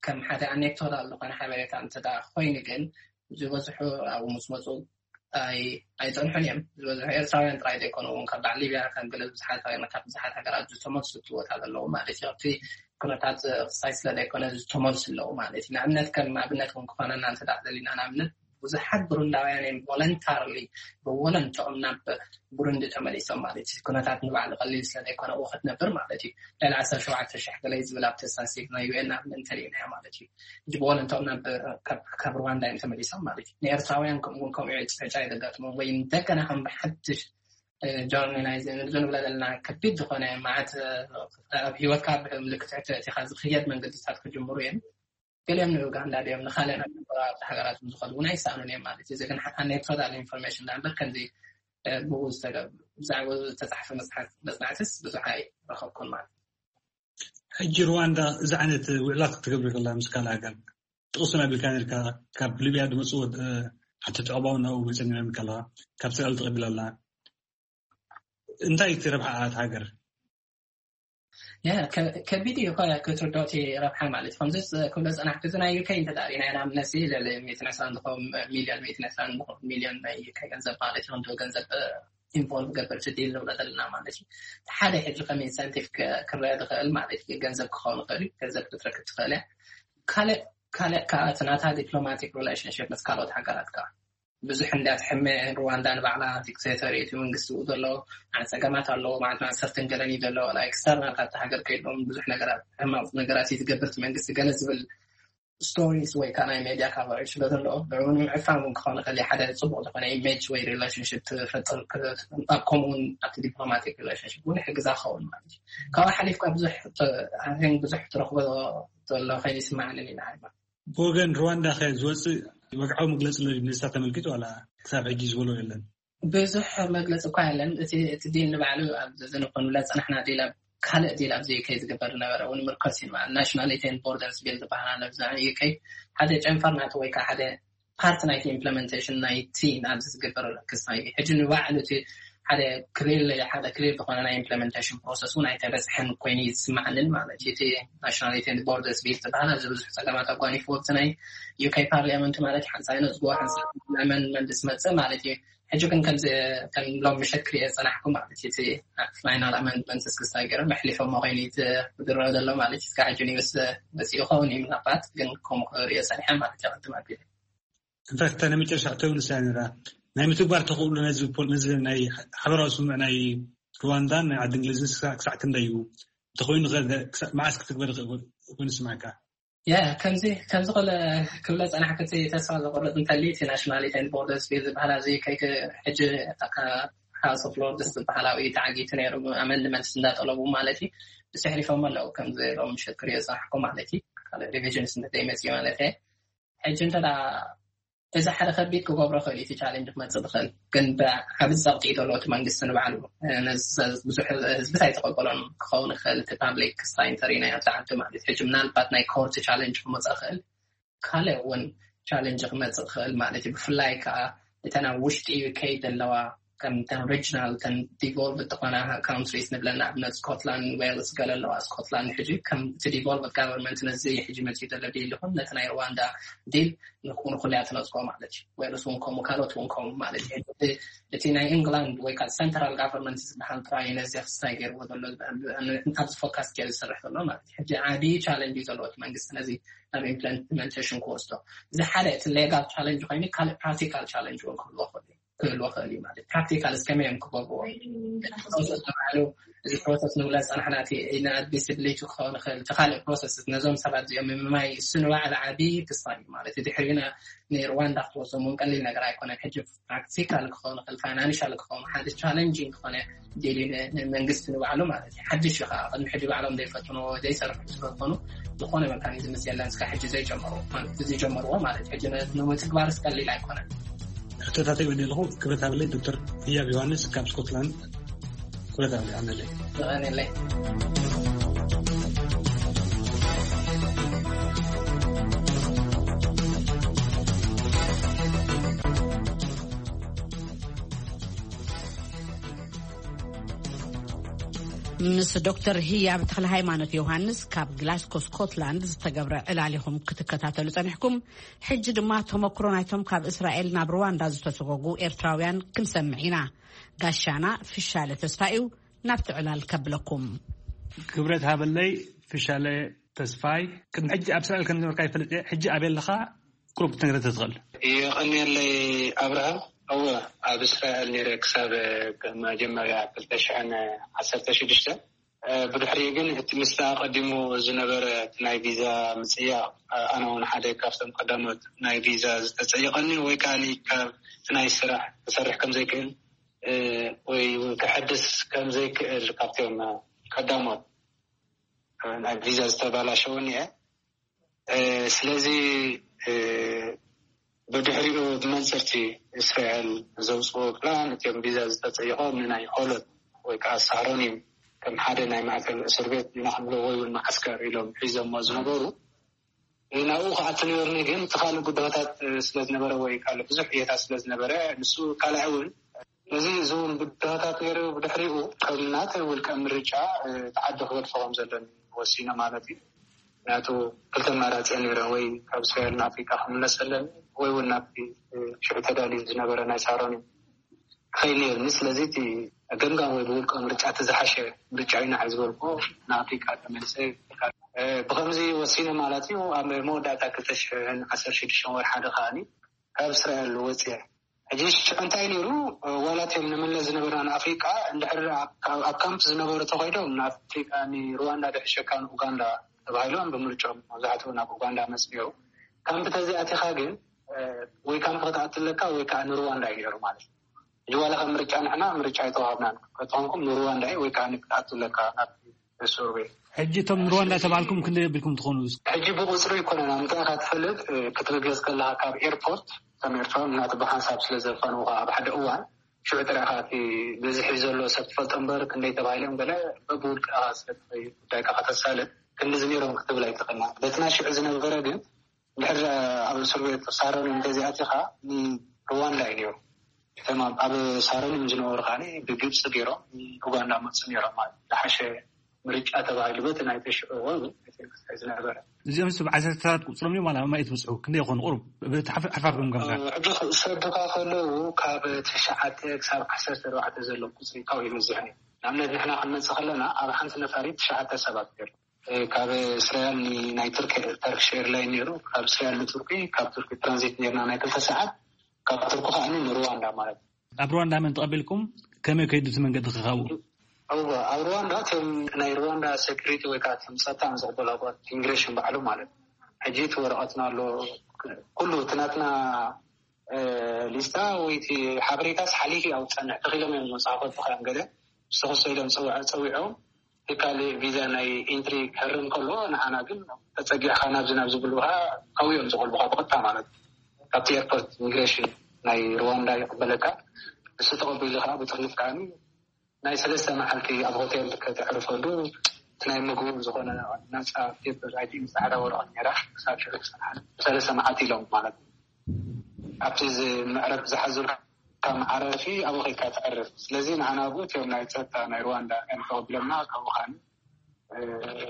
ከም ሓደ ኣኔክዶታል ዝኾነ ሓበሬታ እንተ ኮይኑ ግን ዝበዝሑ ኣብኡ ምስ መፁ ኣይፀንሑን እዮም። ዝበዝሑ ኤርትራውያን ጥራይ ዘይኮኑ እውን ካብ በዓል ሊብያ ከም ገለ ብዙሓት ሃገራት ብዙሓት ሃገራት ዝተመልሱ ትወታ ዘለዉ ማለት እዩ። ኣብቲ ኩነታት ክሳይ ስለ ዘይኮነ ዝተመልሱ ኣለዉ ማለት እዩ። ንኣብነት ከም ኣብነት እውን ክኾነና እንተ ደሊና ንኣብነት ብዙሓት ብሩንዳውያን እዮም ቮለንታርሊ ብወለንትኦም ናብ ብሩንዲ ተመሊሶም ማለት እዩ። ኩነታት ንባዕሉ ቀሊል ስለ ዘይኮነ ኣብኡ ክትነብር ማለት እዩ። ልዕሊ ዓሰርተ ሸውዓተ ሽሕ ገለ ዝብል ኣብቲ ስታትስቲክስ ናይ ዩ ኤን ንኣብነት እንተሪእናዮ ማለት እዩ። ሕጂ ብወለንትኦም ናብ ካብ ሩዋንዳ እዮም ተመሊሶም ማለት እዩ። ንኤርትራውያን ከምኡውን ከምኡ እዩ ዕጫ እዩ ዘጋጥሞም ወይ እንደገና ከም ብሓድሽ ጆርኒ ናይ ንብለ ዘለና ከቢድ ዝኾነ ማለት ኣብ ሂወትካ ምልክት ሕቶ እቲኻ ዝኽየድ መንገድታት ክጅምሩ እዮም። ገሊኦም ንኡጋንዳ ድዮም ንካልእ ናብ ጎረባብቲ ሃገራት ዝኸዱ እውን ኣይሰኣኑን እዮም ማለት እዩ። እዚ ግን ኣኔክዶታል ኢንፎርሜሽን ዳ እምበር ከምዚ ብኡ ብዛዕባ ዝተፃሕፈ መፅናዕትስ ብዙሕ ኣይረኸብኩን ማለት እዩ። ሕጂ ሩዋንዳ እዚ ዓይነት ውዕላት ክትገብር ከላ ምስ ካልእ ሃገር ጥቕሱ ናቢልካ ነርካ ካብ ሊብያ ዝመፅዎ ሓተቲ ዕባው ናብኡ መፀኒሮም ከለዋ ካብ እስራኤል ተቐቢላ ኣላ። እንታይ እቲ ረብሓ ኣት ሃገር? ከቢድ እዩ እኮ ክትርድኦ እቲ ረብሓ ማለት እዩ። ከምዚ ክብሎ ዝፀናሕኩ እዚ ናይ ዩኬ እንተዳሪና ኢና ንኣብነት ልዕሊ ሚእትን ዕስራን ዝኸውን ሚልዮን ሚእትን ዕስራን ዝኸውን ሚልዮን ናይ ዩኬ ገንዘብ ማለት እዩ። ከምዚ ገንዘብ ኢንቮልቭ ገበር እቲ ዲል ንብሎ ዘለና ማለት እዩ። ሓደ ሕጂ ከም ኢንሰንቲቭ ክረአ ዝኽእል ማለት እዩ። ገንዘብ ክኸውን ይኽእል እዩ። ገንዘብ ክትረክብ ትኽእል እያ። ካልእ ካልእ ከዓ እቲ ናታ ዲፕሎማቲክ ሪሌሽንሽፕ ምስ ካልኦት ሃገራት ከዓ ብዙሕ እንዳ ትሕመ ሩዋንዳ ንባዕላ ዲክቴተር እቲ መንግስቲ ኡ ዘሎ ዓ ፀገማት ኣለዎ ማለት ሰርተን ገለን እዩ ዘሎ ላ ኤክስተርናል ካብቲ ሃገር ከይድሎም ብዙሕ ነገራት ሕማቕ ነገራት እዩ ዝገብር እቲ መንግስቲ ገለ ዝብል ስቶሪስ ወይ ከዓ ናይ ሜድያ ካቨሬጅ ስለ ዘለዎ ንዕኡ ንምዕፋን እውን ክኾን ይኽእል ሓደ ፅቡቅ ዝኾነ ኢሜጅ ወይ ሪሌሽንሽፕ ትፈጥር ኣብ ከምኡውን ኣብቲ ዲፕሎማቲክ ሪሌሽንሽፕ እውን ይሕግዛ ክኸውን ማለት እዩ። ካብኡ ሓሊፍካ ብዙሕ ብዙሕ ትረኽቦ ዘሎ ከይኑ ይስማዓንን ኢና። ብወገን ሩዋንዳ ከ ዝወፅእ ወግዓዊ መግለፂ ኣሎ ነዚታት ተመልኪቱ ዋላ ክሳብ ሕጂ ዝበሎ የለን? ብዙሕ መግለፂ እኳ የለን። እቲ እቲ ዲል ንባዕሉ ኣብዚ ንኮንብላ ዝፀናሕና ዲል ኣብ ካልእ ዲል ኣብዚ ከይ ዝግበር ዝነበረ እውን ምርኮስ እዩ ማለት ናሽናሊቲ ኤንድ ቦርደርስ ቢል ዝበሃል ኣሎ። ብዛ ዩኬ ሓደ ጨንፈር ናቱ ወይ ከዓ ሓደ ፓርት ናይቲ ኢምፕሊመንቴሽን ናይቲ ኣብዚ ዝግበር ክስታይ ሕጂ ንባዕሉ እቲ ሓደ ክሊር ሓደ ክሊር ዝኾነ ናይ ኢምፕሊመንቴሽን ፕሮሰስ እውን ኣይተበፅሐን ኮይኑ ይስማዓንን ማለት እዩ። እቲ ናሽናሊቲ ኤንድ ቦርደርስ ቢል ዝበሃል ኣብዚ ብዙሕ ፀገማት ኣጓኒፍዎ ኣብቲ ናይ ዩኬ ፓርሊያመንት ማለት ሓንሳይ ነፅግዎ ሓንሳይ ኣመንድመንት ዝመፅእ ማለት እዩ። ሕጂ ግን ከምዚ ከም ሎም ምሸት ክሪኦ ዝፀናሕኩ ማለት እዩ እቲ ፋይናል ኣመንድመንት እስክስታ ገይሮም ኣሕሊፎሞ ኮይኑ ዝረአ ዘሎ ማለት እዩ። እስካብ ሕጂ ኒውስ መፂኡ ኸውን እዩ ምናልባት ግን ከምኡ ክሪኦ ፀኒሐ ማለት እዩ። ቅድም ኣቢለ እንፋክት ናይ መጨረሻ ሕቶ ንሳ ነራ ናይ ምትግባር ተኽእሎ ነዚ ፖል- ነዚ ናይ ሓበራዊ ስምምዕ ናይ ሩዋንዳን ናይ ዓዲ እንግሊዝን ክሳዕ ክሳዕ ክንደይ እዩ እንተኮይኑ ከ ክሳዕ መዓስ ክትግበር ይኽእል ኮይኑ ስማዕካ? ያ ከምዚ ከምዚ ከለ ክብለ ጸናሕኩ እቲ ተስፋ ዘቆርጥ እንተልዩ እቲ ናሽናሊቲ ኤንድ ቦርደርስ ቢል ዝበሃል ኣብዚ ከይክ ሕጂ ሃውስ ኦፍ ሎርድስ ዝበሃል ኣብኡ ተዓጊቱ ነይሩ ኣመንድመንትስ እንዳጠለቡ ማለት እዩ። ብስሕሪፎም ኣለዉ ከምዚ ሎም ምሸት ክሪኦ ዝጸናሕኩ ማለት እዩ። ካልእ ሪቪዥንስ እንተዘይመጽእ ማለት እየ። ሕጂ እንተ እዚ ሓደ ከቢድ ክገብሮ ክእል እቲ ቻሌንጅ ክመፅእ ዝኽእል ግን ብዓብዚ ፀቕጢ እዩ ዘለዎ እቲ መንግስቲ ንባዕሉ ብዙሕ ህዝቢ ኣይተቀበሎን ክኸውን ይኽእል እቲ ፓብሊክ ክስታይ እንተሪእናዮ ኣብቲ ዓዲ ማለት ሕጂ ምናልባት ናይ ኮርት ቻሌንጅ ክመፅእ ክእል ካልእ እውን ቻሌንጅ ክመፅእ ክእል ማለት እዩ። ብፍላይ ከዓ እተን ኣብ ውሽጢ ዩኬ ዘለዋ ከም ተን ሪጅናል ተን ዲቮልቭ ዝኾና ካንትሪስ ንብለን ንኣብነት ስኮትላንድ፣ ዌልስ ገለ ኣለዋ። ስኮትላንድ ሕጂ ከም እቲ ዲቮልቭ ጋቨርንመንት ነዚ ሕጂ መፅኡ ዘሎ ዲል ይኹን ነቲ ናይ ሩዋንዳ ዲል ንኩ- ንኩልያ ትነፅጎ ማለት እዩ። ዌልስ እውን ከምኡ ካልኦት እውን ከምኡ ማለት እዩ። ሕጂ እቲ ናይ ኢንግላንድ ወይ ከዓ ሰንትራል ጋቨርንመንት ዝበሃል ጥራይ ነዚ ክስታይ ገይርዎ ዘሎ ኣብዚ ፎካስ ገይሩ ዝሰርሕ ዘሎ ማለት እዩ። ሕጂ ዓብዪ ቻለንጅ እዩ ዘለዎ እቲ መንግስቲ ነዚ ናብ ኢምፕሊመንቴሽን ክወስዶ። እዚ ሓደ እቲ ሌጋል ቻለንጅ ኮይኑ ካልእ ፕራክቲካል ቻለንጅ እውን ክህልዎ ክእል ክህልዎ ክእል እዩ ማለት ፕራክቲካል እስከመይ እዮም ክገብርዎ ፕሮሰስ ንባዕሉ እዚ ፕሮሰስ ንብለ ዝፀናሕና እቲ ኢንኣድሚሲብሊቲ ክኸውን ይኽእል እቲ ካልእ ፕሮሰስ ነዞም ሰባት እዚኦም ምምማይ እሱ ንባዕሉ ዓብዪ ክስታ እዩ ማለት እዩ ድሕሪና ንሩዋንዳ ክትወስዶም እውን ቀሊል ነገር ኣይኮነን ሕጂ ፕራክቲካል ክኸውን ይኽእል ፋይናንሻል ክኸውን ሓደ ቻለንጂንግ ዝኾነ ዴሊ ንመንግስቲ ንባዕሉ ማለት እዩ ሓድሽ እዩ ከዓ ቅድሚ ሕጂ ባዕሎም ዘይፈትኖ ዘይሰርሑ ስለዝኾኑ ዝኾነ መካኒዝም የለን እስካ ሕጂ ዘይጀመሩ ማለት ዘይጀመርዎ ማለት ሕጂ ንምትግባር ቀሊል ኣይኮነን። ሕቶታት ይብኒ ኣለኹ። ክብረት ሃበለይ ዶክተር ህያብ ዮሃንስ ካብ ስኮትላንድ። ክብረት ሃበለይ ኣነለይ። የቐንየለይ። ምስ ዶክተር ህያብ ተክለ ሃይማኖት ዮሃንስ ካብ ግላስኮ ስኮትላንድ ዝተገብረ ዕላል ኢኹም ክትከታተሉ ጸኒሕኩም። ሕጂ ድማ ተመክሮ ናይቶም ካብ እስራኤል ናብ ሩዋንዳ ዝተሰጎጉ ኤርትራውያን ክንሰምዕ ኢና። ጋሻና ፍሻለ ተስፋ እዩ ናብቲ ዕላል ከብለኩም። ክብረት ሃበለይ ፍሻለ ተስፋይ። ቅድሚ ሕጂ ኣብ እስራኤል ከም ዝነበርካ ይፈልጥ እየ። ሕጂ ኣበይ ኣለኻ? ቁሩብ ክትነግረ ተትኽእል። የቐንየለይ ኣብርሃም። እወ፣ ኣብ እስራኤል ነይረ ክሳብ መጀመርያ ክልተ ሽሕን ዓሰርተ ሽዱሽተ። ብድሕሪኡ ግን እቲ ምስታ ኣቐዲሙ ዝነበረ እቲ ናይ ቪዛ ምጽያቕ ኣነ እውን ሓደ ካብቶም ቀዳሞት ናይ ቪዛ ዝተጸየቐኒ ወይ ከኣ ካብ እቲ ናይ ስራሕ ክሰርሕ ከም ዘይክእል ወይ እውን ክሕድስ ከም ዘይክእል ካብቶም ቀዳሞት ናይ ቪዛ ዝተባላሸወኒ እየ። ስለዚ ብድሕሪኡ ብመንፅርቲ እስራኤል ዘውፅዎ ፕላን እቲኦም ቪዛ ዝተፀየቖ ንናይ ሆሎት ወይ ከዓ ሳሮኒም ከም ሓደ ናይ ማእከል እስር ቤት ኢና ክንብሎ ወይ እውን መዓስከር ኢሎም ሒዞሞ ዝነበሩ ናብኡ ክኣቱ ነይሩኒ ግን እቲ ካልእ ጉዳዮታት ስለዝነበረ ወይ ካልእ ብዙሕ ዕየታት ስለዝነበረ ንሱ ካልኣይ እውን ነዚ ዝውን ብድሆታት ነይሩ ብድሕሪኡ ከም ናተይ ውልቀ ምርጫ ተዓዲ ክገድፎ ከም ዘለኒ ወሲነ ማለት እዩ። ምክንያቱ ክልተ ኣማራፂ ነይረ ወይ ካብ እስራኤል ንኣፍሪቃ ክምለስ ኣለኒ ወይ እውን ናብቲ ሽዑ ተዳልዩ ዝነበረ ናይ ሳሮን ክኸይድ ነይርኒ። ስለዚ እቲ ገምጋም ወይ ብውልቀ ምርጫ እቲ ዝሓሸ ምርጫ እዩ ንዓይ ዝበልኩ ንኣፍሪቃ ተመልሰ ብከምዚ ወሲነ ማለት እዩ። ኣብ መወዳእታ ክልተ ሽሕን ዓሰርተ ሽዱሽተ ወርሓ ሓደ ከዓኒ ካብ እስራኤል ወፅየ። ሕጂ ሽዑ እንታይ ነይሩ ዋላ እቲኦም ንምለ ዝነበርና ንኣፍሪቃ እንድሕር ኣብ ካምፕ ዝነበሩ ተኸይዶም ንኣፍሪቃ ንሩዋንዳ ድሕሸካ ንኡጋንዳ ተባሂሎም ብምርጫኦም መብዛሕትኡ ናብ ኡጋንዳ መፅኡ። ካምፕ ተዘይኣቲኻ ግን ወይ ካምፕ ክትኣትለካ ወይ ከዓ ንሩዋንዳ እዩ ነይሩ ማለት እዩ። ሕጂ ዋላ ከም ምርጫ ንሕና ምርጫ ኣይተዋሃብናን። ከተኾንኩም ንሩዋንዳ እዩ ወይ ከዓ ክትኣትለካ ናብ ሱርቤ። ሕጂ እቶም ንሩዋንዳ ተባልኩም ክንደይ ኣቢልኩም ትኾኑ? ሕጂ ብቁፅሪ ይኮነን ኣብ ምንታይ ኢካ ትፈልጥ ክትብገዝ ከለካ ካብ ኤርፖርት ከም ኤርትራዊ ምክንያቱ ብሓንሳብ ስለ ዘፋንውካ ኣብ ሓደ እዋን ሽዑ ጥራይ ኢካ እቲ ብዝሒ ዘሎ ሰብ ትፈልጦ እምበር ክንደይ ተባሂሎም ገለ በብውልቅኻ ስለ ትኸይድ ጉዳይካ ከተሳልጥ ክንድዚ ነይሮም ክትብል ኣይትኽእልና። በቲ ናይ ሽዑ ዝነበረ ግን እንድሕር ኣብ ሱርቤ ሳሮን እንተዚኣቲኻ ንሩዋንዳ እዩ ነይሩ። እቶም ኣብ ሳሮን ዝነበሩ ከዓ ብግብፂ ገይሮም ንኡጋንዳ መፁ ነይሮም ማለት ዝሓሸ ምርጫ ተባሂሉ በቲ ናይ ተሽዑ ዝነበረ። እዚኦም ስ ብዓሰርተታት ቁፅሮም እዮም ዋላ ማይ ትብፅሑ ክንደይ ይኾኑ ቁሩብ ብቲ ሓርፋፍ ገምገምካ? ሕጂ ክሰዱካ ከለዉ ካብ ትሽዓተ ክሳብ ዓሰርተ ኣርባዕተ ዘሎ ቁፅሪ ካብኡ ይበዝሕ ነይሩ። ንኣብነት ንሕና ክንመፅእ ከለና ኣብ ሓንቲ ነፋሪት ትሽዓተ ሰባት ነይሩ። ካብ እስራኤል ናይ ቱርክ ተርክሽ ኤርላይን ነይሩ። ካብ እስራኤል ንቱርኪ ካብ ቱርኪ ትራንዚት ነርና ናይ ክልተ ሰዓት ካብ ቱርኪ ከዓ ንሩዋንዳ ማለት እዩ። ኣብ ሩዋንዳ መን ተቐቢልኩም? ከመይ ከይዱ እቲ መንገዲ ክኻቡ? እወ ኣብ ሩዋንዳ እቶም ናይ ሩዋንዳ ሴኩሪቲ ወይ ከዓ እቶም ፀጥታ ዝቕበሉ ኣባት ኢሚግሬሽን ባዕሉ ማለት እዩ። ሕጂ እቲ ወረቐትና ኣሎ ኩሉ እቲ ናትና ሊስታ ወይ እቲ ሓበሬታስ ሓሊፊ ኣብ ፀንሕ ተኺሎም እዮም መፅሓፎ ተኸም ገለ ዝተኸሰ ኢሎም ፀዊዖም ትካል ቪዛ ናይ ኢንትሪ ክህርም ከሎ ንዓና ግን ተፀጊዕካ ናብዚ ናብ ዝብልካ ካብኡ እዮም ዝቆልቡካ ብቐጥታ ማለት እዩ። ካብቲ ኤርፖርት ኢሚግሬሽን ናይ ሩዋንዳ ይቕበለካ። ንሱ ተቐቢሉ ከዓ ብጥርንፍ ከዓ ናይ ሰለስተ መዓልቲ ኣብ ሆቴል ከተዕርፈሉ እቲ ናይ ምግቡ ዝኾነ ናፃ ፔፐር ኣይዲ ፃዕዳ ወረቐት ነራ ክሳብ ሽዑ ክፀንሓ ሰለስተ መዓልቲ ኢሎም ማለት እዩ። ኣብቲ መዕረፍ ዝሓዙ ካብ መዓረፊ ኣብኡ ከይካ ተዕርፍ። ስለዚ ንዓና ኣብኡ እቲኦም ናይ ጸጥታ ናይ ሩዋንዳ እዮም ተቐቢሎምና። ካብኡ ኸኣ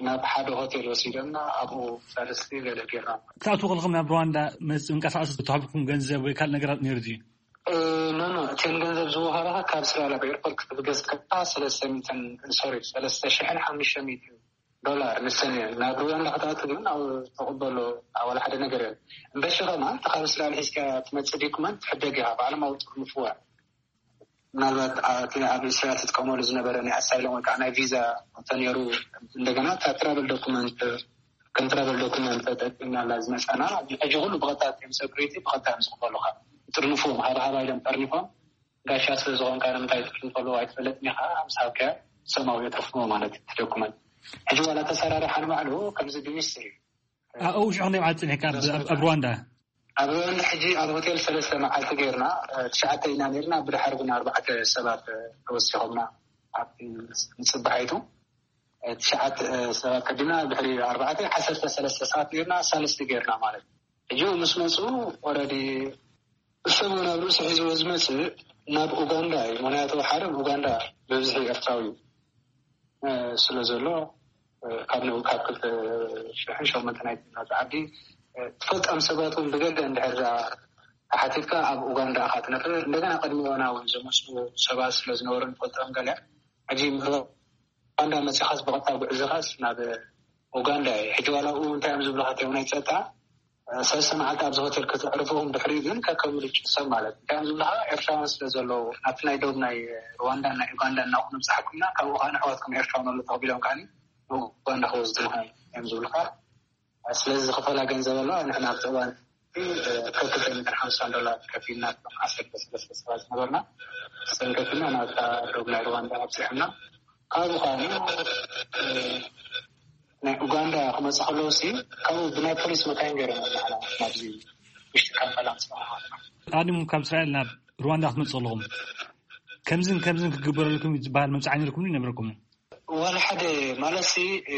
ናብ ሓደ ሆቴል ወሲዶምና ኣብኡ ሳልስቲ ገለ ጌርና። ክትኣትዉ ከለኹም ናብ ሩዋንዳ መጽ-፣ ምንቀሳቐሲ ዝተዋህበኩም ገንዘብ ወይ ካልእ ነገራት ነይሩ ድዩ? ኖ ኖ፣ እተን ገንዘብ ዝወሃባኻ ካብ ስራላ ብኤርፖርት ክትብገስ ከለኻ ሰለስተ ሚእትን፣ ሶሪ፣ ሰለስተ ሽሕን ሓሙሽተ ሚእትን ዶላር ንሰን እየን። ናብ ሩዋንዳ ክትኣቱ ግን ኣብ ተቕበሎ ኣብ ዋላ ሓደ ነገር የለን። እምበሺ ኸማ እቲ ካብ ስራላ ሒዝካ ትመጽእ ዲኩመንት ትሕደግ ኢኻ፣ ባዕሎም ኣብ ጥርንፍዋ። ምናልባት እቲ ኣብ እስራኤል ትጥቀመሉ ዝነበረ ናይ ኣሳይሎም ወይ ከዓ ናይ ቪዛ እንተነይሩ፣ እንደገና እታ ትራቨል ዶኩመንት፣ ከም ትራቨል ዶኩመንት ተጠቂምናላ ዝመፃና። ሕጂ ኩሉ ብቐጥታ እዮም ሰኩሪቲ ብቐጥታ እዮም ዝቕበሉኻ። ይጥርንፉ፣ ሃባሃባ ኢሎም ጠርኒፎም፣ ጋሻ ስለ ዝኾንካ ንምንታይ ትጥርንፈሉ ኣይትፈለጥን ኢኻ፣ ምስ ሃብካዮ ሰማዊ የትርፍዎ ማለት እዩ እቲ ዶኩመንት። ሕጂ ዋላ ተሰራሪሓ ንባዕሉ ከምዚ ብሚስጥር እዩ። ኣብኡ ሽዑ ክንደይ መዓልቲ ጸኒሕካ ኣብ፣ ኣብ፣ ኣብ ሩዋንዳ? ኣብ ሩዋንዳ ሕጂ ኣብ ሆቴል ሰለስተ መዓልቲ ጌርና፣ እ፣ ትሽዓተ ኢና ኔርና፣ ብድሓር ግን ኣርባዕተ ሰባት፣ እ፣ ተወሲኾምና ኣብቲ ንጽባሒቱ። እ፣ ትሽዓተ፣ እ፣ ሰባት ቀዲምና፣ ድሕሪ ኣርባዕተ፣ ዓሰርተ ሰለስተ ሰባት ኔርና፣ ሳልስቲ ጌርና ማለት እዩ። ሕጂ ምስ መጹ ኦረዲ ሰብ እውን ኣብ ርእሱ ሒዝዎ ዝመጽእ ናብ ኡጋንዳ እዩ። ምኽንያቱ ሓደ ኡጋንዳ ብብዝሒ ኤርትራዊ እዩ። እ፣ ስለ ዘሎ፣ እ፣ ካብ ንኡ ካብ ክልተ ሽሕን ሸሞንተን ናይ ናብዚ ዓዲ፣ እ፣ ትፈልጦም ሰባት እውን ብገለ እንድሕር ደኣ ተሓቲትካ ኣብ ኡጋንዳ ኢኻ ትነብር። እንደገና ቅድሚ ኦና እውን ዝመጹ ሰባት ስለ ዝነበሩ ንፈልጦም ገለ። ሕጂ ኡጋንዳ መጺኻስ ብቐጥታ ጉዕዝኻስ ናብ ኡጋንዳ እዩ። ሕጂ ዋላ ኣብኡ እንታይ እዮም ዝብሉኻ እቶም ናይ ጸጥታ፣ ሰለስተ መዓልቲ ኣብዚ ሆቴል ከተዕርፉ፣ ድሕሪኡ ግን ከከም ምርጭኡ ሰብ ማለት እዩ። እንታይ እዮም ዝብሉኻ፣ ኤርትራውያን ስለ ዘለዉ፣ ናብቲ ናይ ዶብ ናይ ሩዋንዳን ናይ ኡጋንዳን እናኹ ምብጻሕኩምና፣ ካብኡ ኸኣ ንኣሕዋትኩም ኤርትራውያን ኣሎ ተቐቢሎም ከኣ ንኡጋንዳ ክወስዱኻ እዮም ዝብሉኻ። ስለዚ ዝኽፈላ ገንዘብ ኣለዋ። ንሕና ኣብቲ እዋን ከክልተ ሚእትን ሓምሳን ዶላር ከፊልና፣ እቶም ዓሰርተ ሰለስተ ሰባት ዝነበርና፣ እሰን ከፊልና ናብታ ዶብ ናይ ሩዋንዳ ኣብጺሖምና። ካብኡ ኸኣ ናይ ኡጋንዳ ክመጽእ ከለዉ ሲ፣ ካብኡ ብናይ ፖሊስ መካይን ገይሮም ንዓና ናብዚ ውሽጢ ካምፓላ ኣምጽኣና። ቀዲሙ ካብ እስራኤል ናብ ሩዋንዳ ክትመጽኡ ከለኹም፣ ከምዝን ከምዝን ክግበረልኩም እዩ ዝበሃል መብጽዓ ነይርኩም ድዩ ነበረኩም? ዋላ ሓደ ማለት ሲ፣ እ፣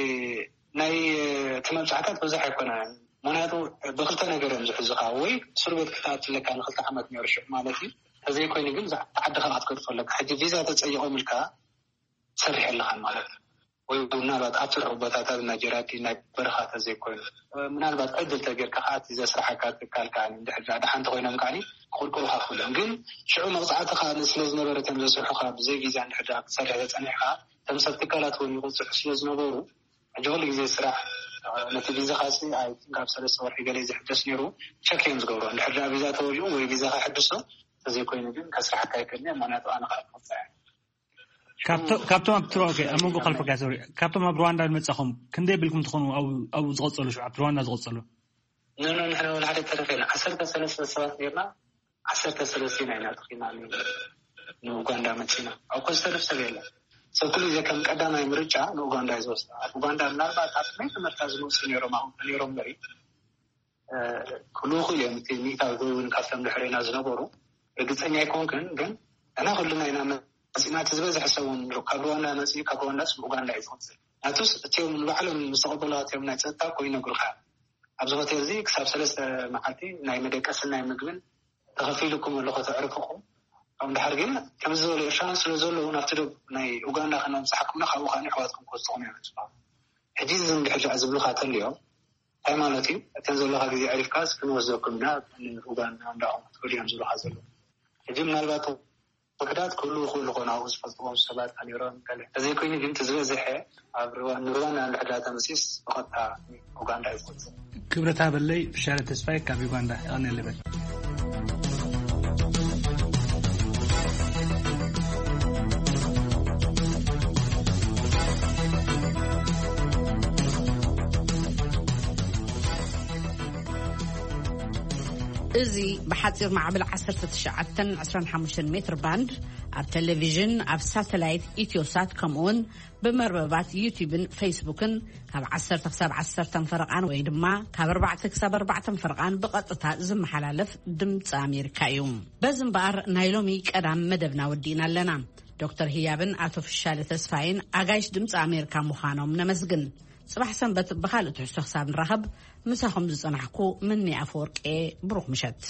ናይ፣ እ፣ እቲ መብጽዓታት ብዙሕ ኣይኮነን። ምኽንያቱ ብክልተ ነገር እዮም ዝሕዙኻ፣ ወይ እስር ቤት ክትኣቱ ኣለካ ንክልተ ዓመት ነይሩ ሽዑ ማለት እዩ። ተዘይኮይኑ ግን ዛ-፣ ዓድኻ ክትገድፎ ኣለካ። ሕጂ ቪዛ ተጸይቖምልካ ትሰርሕ ኣለኻን ማለት እዩ። ወይ ምናልባት ኣብ ትርሑ ቦታታት ናይ ጀራዲ ናይ በረኻ ተዘይኮይኑ፣ ምናልባት ዕድል ተገይርካ ከዓ እቲ ዘስርሓካ ትካል ከዓ እንድሕር ደኣ ደሓን እንተኮይኖም ከዓ ክቕርቅሩኻ ክእሉ እዮም። ግን ሽዑ መቕፃዕቲ ከዓ ስለ ዝነበረ እቶም ዘስርሑኻ ብዘይ ቪዛ እንድሕር ደኣ ክትሰርሕ ተፀኒሕካ፣ እቶም ሰብ ትካላት እውን ይቕፅዑ ስለ ዝነበሩ፣ ሕጂ ኩሉ ግዜ ስራሕ ነቲ ቪዛኻ ሲ ኣብ ካብ ሰለስተ ወርሒ ገለ ዝሕደስ ነይሩ ቸክ እዮም ዝገብሩ። እንድሕር ደኣ ቪዛ ተወሊኡ ወይ ቪዛኻ ሕድሶ፣ ተዘይኮይኑ ግን ከስርሓካ ኣይክእልን እዮም። ምክንያቱ ኣነ ከዓ ክቕፃዕ እየ። ካብቶ-፣ ካብቶም ኣብ ትሮ-፣ ኦኬ፣ ኣብ መንጎ ከልፈካ፣ ሶሪ፣ ካብቶም ኣብ ሩዋንዳ ዝመጻኹም ክንደይ ቢልኩም ትኾኑ ኣብ፣ ኣብኡ ዝቐጸሉ፣ ሽዑ ኣብቲ ሩዋንዳ ዝቐጸሉ? ኖ፣ ኖ፣ ንሕና ወላ ሓደ ተረፈና። ዓሰርተ ሰለስተ ሰባት ኔርና፣ ዓሰርተ ሰለስተ ኢና ተኺና ን-፣ ንኡጋንዳ መጺና። ኣብ ኮስተር ሰብ የለን። ሰብ ኩሉ ግዜ ከም ቀዳማይ ምርጫ ንኡጋንዳ እዩ ዝወስዳ። ኣብ ኡጋንዳ ምናልባት ኣብ ናይ ትምህርታ ዝመጹ ኔሮም፣ ኣብኡ ኔሮም እምበሪ፣ እ፣ ክልኡ ክእል እዮም። እቲ ሚእታዊ ወይ እውን ካብቶም ድሕሬና ዝነበሩ ርግጸኛ ኣይኮንኩን፣ ግን ንሕና ኩልና ኢና መጺና። እቲ ዝበዝሐ ሰብ እውን ካብ ሩዋንዳ መጺኡ፣ ካብ ሩዋንዳስ ኡጋንዳ እዩ ዝቕጽል። ናቱስ እቲኦም ንባዕሎም ዝተቐበልዋ እቲኦም ናይ ጸጥታ እኮ ይነግሩኻ። ኣብዚ ሆቴል እዚ ክሳብ ሰለስተ መዓልቲ ናይ መደቀስን ናይ ምግብን ተኸፊሉኩም ኣሎ ከተዕርፍኹም። ካብኡ ድሓር ግን ከምዚ ዝበሉ ኤርትራውያን ስለ ዘለዉ ናብቲ ዶብ ናይ ኡጋንዳ ከነምጽሓኩም ኢና፣ ካብኡ ከኣ ኣሕዋትኩም ክወስድኹም እዮም ዝበሉ። ሕጂ እዚ እንድሕር ዝብሉኻ ተልዮም እንታይ ማለት እዩ? እተን ዘለኻ ግዜ ዕሪፍካስ ክንወስደኩም ኢና፣ ንኡጋንዳ እንዳኹም ክትከዱ እዮም ዝብሉኻ ዘለዉ። ሕጂ ምናልባት ውሑዳት ክህልዉ ይኽእሉ ይኾኑ፣ ኣብኡ ዝፈልጥዎም ሰባት ከነይሮም ገለ። እንተዘይኮይኑ ግን እቲ ዝበዝሐ ኣብ ሩዋ-፣ ንሩዋንዳ እንድሕር ተመሲስ ብቐጥታ ኡጋንዳ እዩ ዝወጽእ። ክብረት ሃበለይ፣ ፍሻለ ተስፋይ ካብ ዩጋንዳ። የቐንየለይ በል። እዚ ብሓጺር ማዕበል ዓሰርተ ትሽዓተን ዕስራን ሓሙሽተን ሜትር ባንድ፣ ኣብ ቴሌቪዥን፣ ኣብ ሳተላይት ኢትዮሳት፣ ከምኡውን ብመርበባት ዩቲዩብን ፌስቡክን ካብ ዓሰርተ ክሳብ ዓሰርተ ፈረቓን ወይ ድማ ካብ ኣርባዕተ ክሳብ ኣርባዕተ ፈረቓን ብቐጥታ ዝመሓላለፍ ድምፂ ኣሜሪካ እዩ። በዚ እምበኣር ናይ ሎሚ ቀዳም መደብና ወዲእና ኣለና። ዶክተር ህያብን ኣቶ ፍሻለ ተስፋይን ኣጋይሽ ድምፂ ኣሜሪካ ምዃኖም ነመስግን። ጽባሕ ሰንበት ብኻልእ ትሕዝቶ ክሳብ ንራኸብ፣ ምሳኹም ዝጸናሕኩ ምኒ ኣፈወርቄ። ብሩኽ ምሸት።